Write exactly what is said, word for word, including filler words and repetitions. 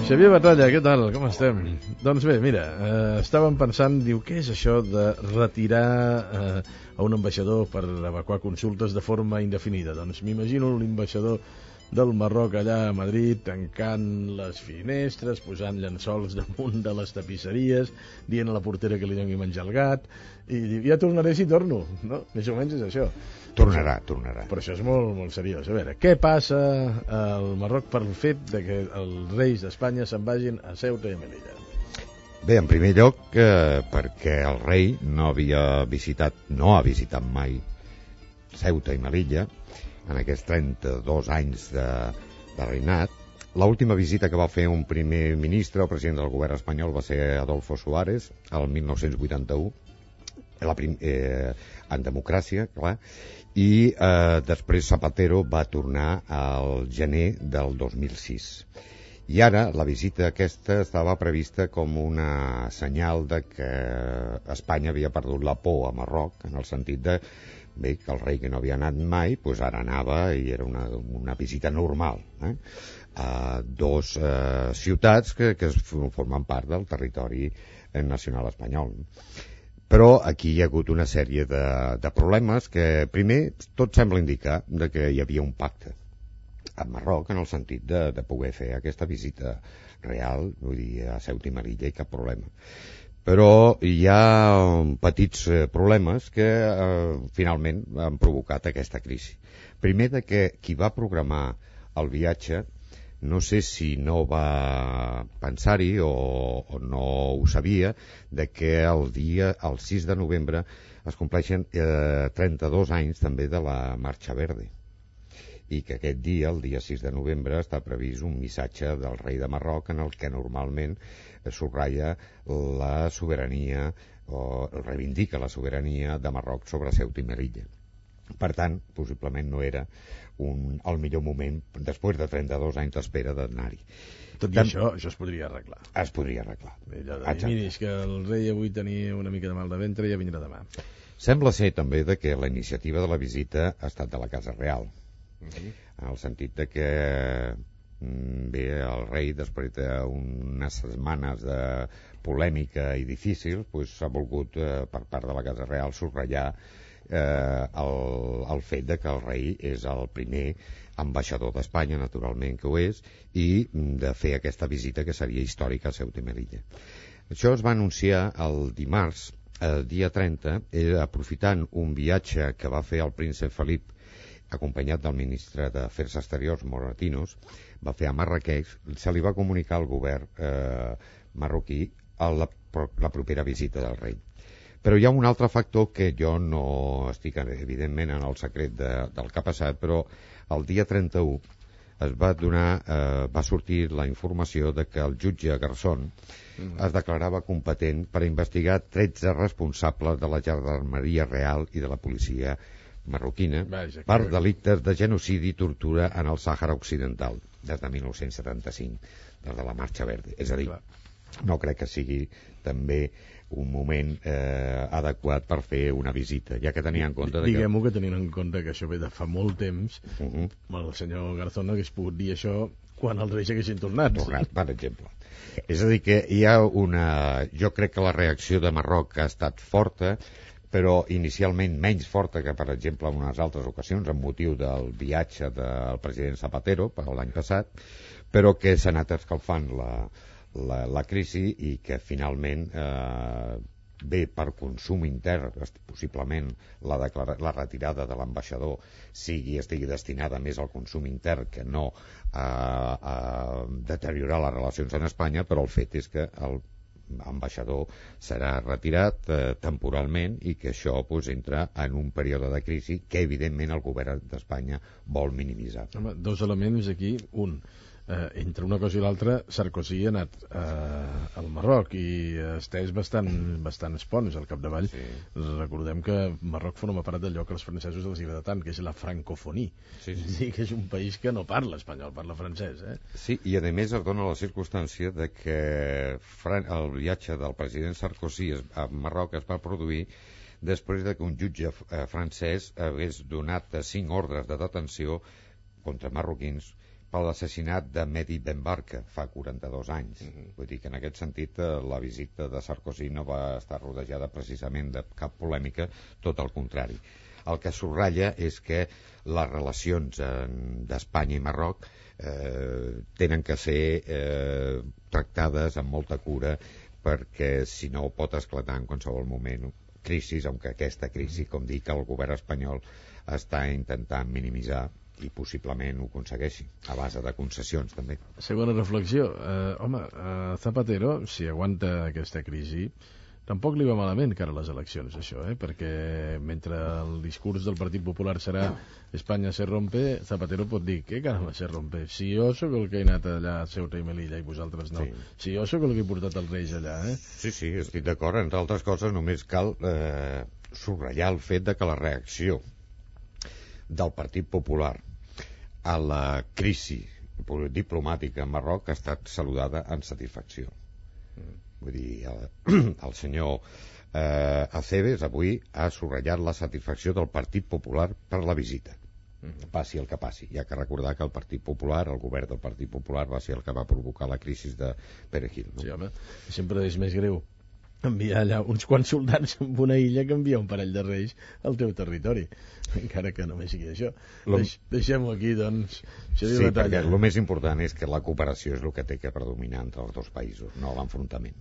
Xavier Batalla, què tal? Com estem? Doncs bé, mira, eh, estàvem pensant, diu, què és això de retirar eh, a un ambaixador per evacuar consultes de forma indefinida? Doncs m'imagino l'ambaixador del Marroc allà a Madrid tancant les finestres, posant llençols damunt de les tapisseries, dient a la portera que li doni menjar al gat, i diu, ja tornaré si torno, no? Més o menys és això. Tornarà, tornarà. Però això és molt, molt seriós. A veure, què passa al Marroc per el fet de que els reis d'Espanya se'n vagin a Ceuta i a Melilla? Bé, en primer lloc, eh, perquè el rei no havia visitat, no ha visitat mai Ceuta i Melilla en aquests trenta-dos anys de, de reinat. L'última visita que va fer un primer ministre, el president del govern espanyol, va ser Adolfo Suárez, el mil nou-cents vuitanta-u, la prim, eh, en democràcia, clar, i eh, després Zapatero va tornar al gener del dos mil sis. I ara la visita aquesta estava prevista com una senyal de que Espanya havia perdut la por a Marroc, en el sentit de bé, que el rei que no havia anat mai, doncs ara anava i era una, una visita normal, eh? a dos eh, ciutats que, que formen part del territori nacional espanyol. Però aquí hi ha hagut una sèrie de, de problemes que, primer, tot sembla indicar de que hi havia un pacte a Marroc en el sentit de, de poder fer aquesta visita real, vull dir, a Ceuta i Melilla i cap problema. Però hi ha petits problemes que eh, finalment han provocat aquesta crisi. Primer, de que qui va programar el viatge no sé si no va pensar-hi o, o no ho sabia, de que el dia, el sis de novembre, es compleixen eh, trenta-dos anys també de la Marxa Verde, i que aquest dia, el dia sis de novembre, està previst un missatge del rei de Marroc en el que normalment subratlla la sobirania o reivindica la sobirania de Marroc sobre Ceuta i Melilla. Per tant, possiblement no era un, el millor moment, després de trenta-dos anys d'espera, d'anar-hi. Tot i això, això es podria arreglar. Es podria arreglar. Allò de dir, miri, és que el rei avui tenia una mica de mal de ventre i ja vindrà demà. Sembla ser també de que la iniciativa de la visita ha estat de la Casa Real, uh-huh. en el sentit de que bé, el rei, després d'unes setmanes de polèmica i difícil, doncs s'ha volgut, eh, per part de la Casa Real, subratllar eh, el, el fet de que el rei és el primer ambaixador d'Espanya, naturalment que ho és, i de fer aquesta visita que seria històrica a Ceuta i Melilla. Això es va anunciar el dimarts, el dia trenta, eh, aprofitant un viatge que va fer el príncep Felip, acompanyat del ministre d'Afers Exteriors, Moratinos, va fer a Marrakeix, se li va comunicar al govern eh, marroquí a la, la propera visita del rei. Però hi ha un altre factor que jo no estic, evidentment, en el secret de, del que ha passat, però el dia trenta-u es va donar, eh, va sortir la informació de que el jutge Garzón mm. es declarava competent per investigar tretze responsables de la Gendarmeria Real i de la policia marroquina Vaja, per que... delictes de genocidi i tortura en el Sàhara Occidental des de mil nou-cents setanta-cinc, des de la Marxa Verde. És a dir, Clar. no crec que sigui també un moment eh, adequat per fer una visita, ja que tenia en compte... Diguem-ho que... que tenint en compte que això ve de fa molt temps, uh-huh. el senyor Garzón hagués pogut dir això quan els reis haguessin tornat. Tornat, per exemple. És a dir, que hi ha una... Jo crec que la reacció de Marroc ha estat forta, però inicialment menys forta que, per exemple, en unes altres ocasions, amb motiu del viatge del president Zapatero per l'any passat, però que s'ha anat escalfant la, la, la crisi i que finalment eh, ve per consum intern, possiblement la, declara, la retirada de l'ambaixador sigui estigui destinada més al consum intern que no a, a deteriorar les relacions en Espanya, però el fet és que el ambaixador serà retirat eh, temporalment i que això pues, entra en un període de crisi que evidentment el govern d'Espanya vol minimitzar. Home, dos elements aquí. Un, eh, entre una cosa i l'altra, Sarkozy ha anat eh, al Marroc i ha estès bastant, bastant espons al capdavall. Sí. Recordem que Marroc forma part d'allò que els francesos els agrada tant, que és la francofonia. Sí, sí. És dir, que és un país que no parla espanyol, parla francès. Eh? Sí, i a més es dona la circumstància de que el viatge del president Sarkozy a Marroc es va produir després de que un jutge francès hagués donat cinc ordres de detenció contra marroquins per l'assassinat de Mehdi Ben Barka fa quaranta-dos anys. Uh-huh. Vull dir que en aquest sentit la visita de Sarkozy no va estar rodejada precisament de cap polèmica, tot el contrari. El que subratlla és que les relacions d'Espanya i Marroc eh, tenen que ser eh, tractades amb molta cura, perquè si no pot esclatar en qualsevol moment crisis, aunque aquesta crisi, com dic, el govern espanyol està intentant minimitzar i possiblement ho aconsegueixi, a base de concessions també. Segona reflexió, eh, home, eh, Zapatero, si aguanta aquesta crisi, tampoc li va malament cara a les eleccions, això, eh? Perquè mentre el discurs del Partit Popular serà Espanya se rompe, Zapatero pot dir, què caramba se rompe? Si jo sóc el que he anat allà a Ceuta i Melilla i vosaltres no. Sí. Si jo sóc el que he portat els Reis allà, eh? Sí, sí, estic d'acord. Entre altres coses, només cal eh, subratllar el fet de que la reacció del Partit Popular a la crisi diplomàtica en Marroc ha estat saludada amb satisfacció. Mm. Vull dir, el, el senyor eh, Acebes avui ha subratllat la satisfacció del Partit Popular per la visita. Mm. Passi el que passi. Hi ha que recordar que el Partit Popular, el govern del Partit Popular, va ser el que va provocar la crisi de Perejil. No? Sí, home, sempre és més greu enviar allà uns quants soldats en una illa que enviar un parell de reis al teu territori, encara que només sigui això. Lo... Deix, deixem-ho aquí, doncs. Sí, perquè el més important és que la cooperació és el que té que predominar entre els dos països, no l'enfrontament.